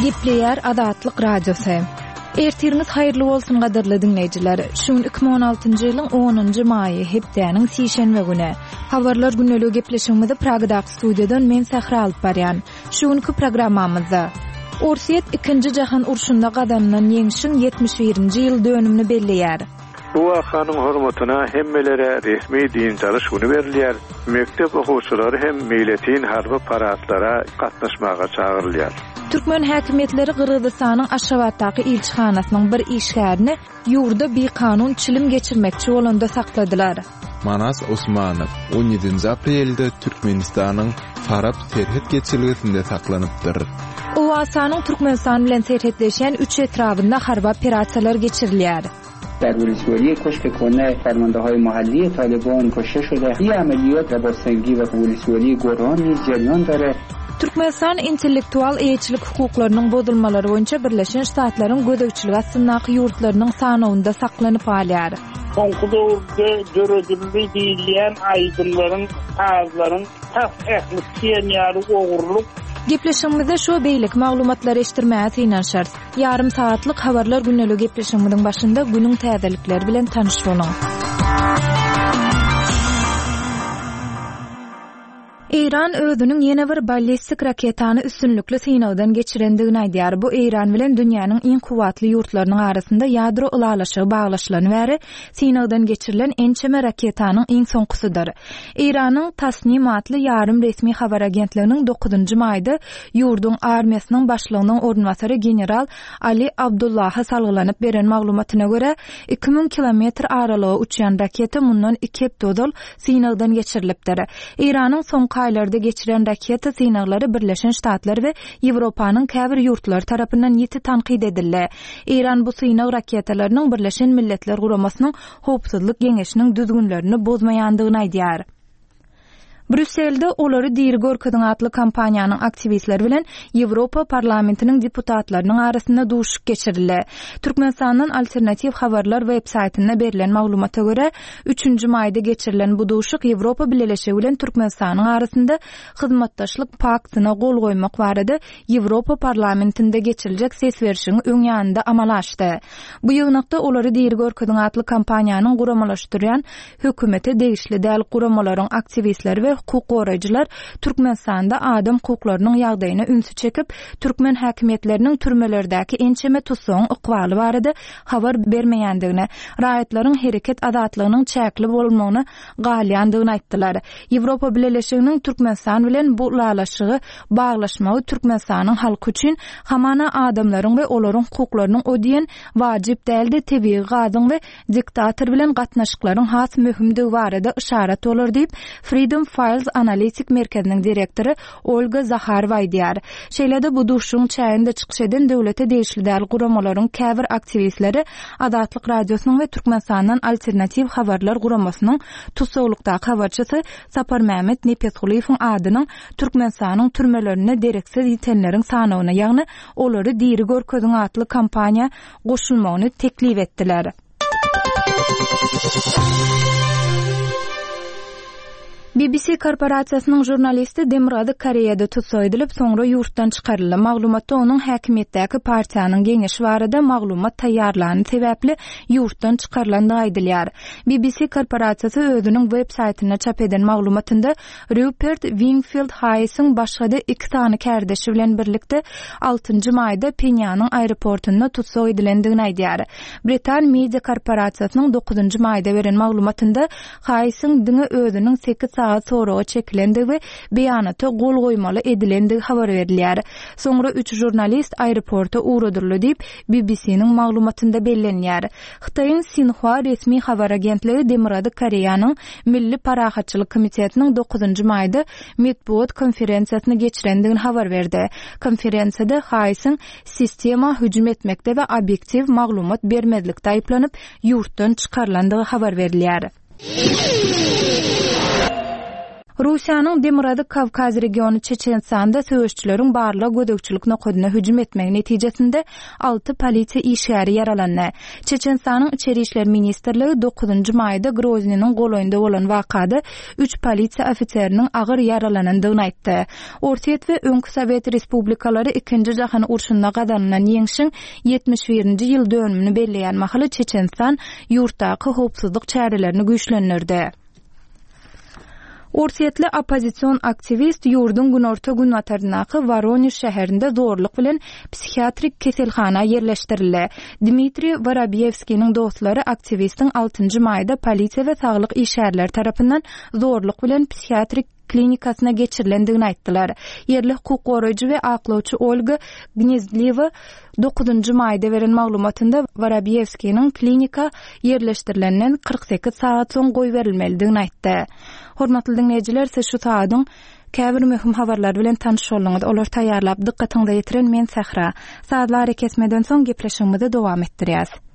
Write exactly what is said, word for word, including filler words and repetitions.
Gepleýär Azatlyk Radiosy. Ertiriňiz haýyrly bolsun gadyrly diňleýjiler. Şu gün iki müň on altynjy ýylyň onunjy maýy, hepdäniň sişenbe güni. Habarlar gündeligi gepleşigimizi Pragadaky studiýadan men Sähra alyp barýan. Şu günki programmamyzda Orsýet ikinji jahan urşunda gazanylan ýeňşiň ýetmiş birinji ýyl dönümini belleýär. Bu wakanyň hormatyna hemmelere resmi dynç alyş güni berilýär. Mekdep okuwçylary hem meýletin harby paradlara gatnaşmaga çagyrylýar. Türkmen häkimiýetleri Gyrgyzystanyň Aşgabatdaky ilçihanasynyň bir işgärini ýurda bikanun çilim geçirmekçi bolanda sakladylar. Manas Osmanow on ýedinji aprelde Türkmenistanyň Farap serhet geçelgesinde saklanypdyr. Owganystanyň Türkmenistan bilen serhetleşýän üç etrabynda harby operasiýalar geçirilýär. در ولسوالی کشک کنه فرمانده‌های محلی طالبان کشته شده. این عملیات رباط سنگی و ولسوالی گران نیز جریان داره. Türkmenistan intellektual eýeçilik hukuklarynyň bozulmalary boýunça Birleşen Ştatlaryň gözegçiligi astyndaky ýurtlarynyň sanawynda saklanyp galýar. Soňky döwürde döredildi diýilýän aýdymlaryň, sazlaryň tas ähli diýen ýaly ogurlyk. Gepleşigimizde şu beýleki maglumatlary eşitdirmäge synanyşarys. Ýarym saatlyk habarlar gündeligi gepleşigimiziň başynda günüň täzelikleri bilen tanyş boluň. Eýran özüniň ýene bir ballistik raketany üstünlikli synagdan geçirendigini aýdýar. Bu Eýran bilen dünýäniň iň kuwwatly ýurtlarynyň arasynda ýadro ylalaşygy baglaşylany bäri synagdan geçirilen ençeme raketanyň iň soňkusydyr. Eýranyň Tasnim atly ýarym resmi habar agentliginiň dokuzynjy maýda ýurduň armiýasynyň başlygynyň orunbasary general Ali Abdullaha salgylanyp beren maglumatyna görä iki müň kilometr aralyga uçýan raketa mundan iki hepde ozal synagdan geçirilipdir. Eýranyň soňky aýlarda geçiren raketa synaglary Birleşen Ştatlar we Ýewropanyň käbir ýurtlary tarapyndan ýiti tankyt edildi. Eýran bu synag raketalarynyň Birleşen Milletler Guramasynyň Howpsuzlyk Geňeşiniň düzgünlerini bozmaýandygyny aýdýar. Brüsselde olary diri görkeziň atly kampaniýanyň aktiwistleri bilen Ýewropa parlamentiniň deputatlarynyň arasynda duşup geçirildi. Türkmenistandan alternatiw habarlar web saýtynda berlen maglumata görä, üçünji maýda geçirilen bu duşuk Ýewropa Bileleşigi bilen Türkmenistanyň arasynda hyzmatdaşlyk paktyna gol goýmak barada Ýewropa parlamentinde geçiriljek ses berişiň öň ýanynda amala aşdy. Bu ýygnakda olary diri görkeziň atly kampaniýanyň guramalaşdyrýan hökümete degişli däl guramalaryň aktiwistleri we hukuk goraýjylar Türkmenistanda adam hukuklarynyň ýagdaýyna ünsi çekip, türkmen häkimiýetleriniň türmelerdäki ençeme tutsagyň ykbaly barada habar bermeýändigini, raýatlaryň hereket azatlygynyň çäkli bolmagyna galýandygyny aýtdylar. Ýewropa Bileleşiginiň Türkmenistan bilen bu ylalaşygy baglaşmagy Türkmenistanyň halky üçin hamana adamlaryň we olaryň hukuklarynyň o diýen wajyp däldi, tebigy gazyň we diktator bilen gatnaşyklaryň has möhümdigi barada yşarat bolar diýip, Freedom Files Analitik Merkeziniň direktory Olga Zaharowa aýdýar. Şeýle-de bu duşuň çäginde çykyş eden döwlete degişli däl guramalaryň käbir aktiwistleri Azatlyk Radiosynyň we Türkmenistandan alternatiw habarlar guramasynyň tussaglykdaky habarçysy Saparmämmet Nepesgulyýewiň adynyň Türkmenistanyň türmelerinde dereksiz ýitenleriň sanawyna, ýagny olary diri görkeziň atly kampaniýa goşulmagyny teklip etdiler. B B C korporasiýasynyň žurnalisti Demirgazyk Koreýada tutsag edilip, soňra ýurtdan çykaryldy. Maglumatda onuň häkimiýetdäki partiýanyň geňeşi barada maglumat taýýarlany sebäpli ýurtdan çykarylandygy aýdylýar. B B C korporasiýasy özüniň web saýtynda çap eden maglumatynda Rupert Wingfield Hayesiň başga-da iki sany kärdeşi bilen birlikde altynjy maýda Penýanyň aeroportunda tutsag edilendigini aýdýar. Britan media korporasiýasynyň dokuzynjy maýda beren maglumatynda Hayesiň diňe özüniň sekiz saat soraga çekilendigi we beýanata gol goýmaly edilendigi habar berilýär. Soňra üç žurnalist aeroporta ugradyryldy diýip B B C-niň maglumatynda bellenýär. Hytaýyň Xinhua resmi habar agentligi Demirgazyk Koreýanyň Milli Parahatçylyk Komitetiniň dokuzynjy maýda metbugat konferensiýasyny geçirendigini habar berdi. Konferensiýada Hayesiň sistema hüjüm etmekde we obyektiw maglumat bermezlikde aýyplanyp ýurtdan çykarylandygy habar berilýär. Russiýanyň Demirgazyk Kawkaz regiony Çeçenistanda söweşçileriň barlag gözegçilik nokadyna hüjüm etmegi netijesinde alty polisiýa işgäri ýaralandy. Çeçenistanyň Içeri işler ministrligi dokuzynjy maýda Groznynyň golaýynda bolan wakada üç polisiýa ofiseriniň agyr ýaralanandygyny aýtdy. Orsýet we öňki sowet respublikalary Ikinji jahan urşunda gazanylan ýeňşiň ýetmiş birinji ýyl dönümini belleýän mahaly Çeçenistan ýurtdaky howpsuzlyk çärelerini güýçlendirdi. Orsýetli oppozision aktiwist ýurduň günorta-günbataryndaky Woronež şäherinde zorluk bilen psihiatrik keselhana ýerleşdirildi. Dmitriý Worobýewskiniň dostlary aktiwistiň altynjy maýda polisiýa we saglyk işgärleri tarapyndan zorluk bilen psihiatrik klinikasyna geçirilendigini aýtdylar. Ýerli hukuk goraýjy we aklawçy Olga Gnezdliwa dokuzynjy maýda beren maglumatynda Worobýewskiniň klinika ýerleşdirilenden kyrk sekiz sagat soň goýberilmelidigini aýtdy. Hormatly diňleýjiler, siz şu sagadyň käbir möhüm habarlary bilen tanyş bolduňyz. Olary taýýarlap, dykgatyňyza ýetiren men Sähra. Sazly arakesmeden soň gepleşigimizi dowam etdirýäs.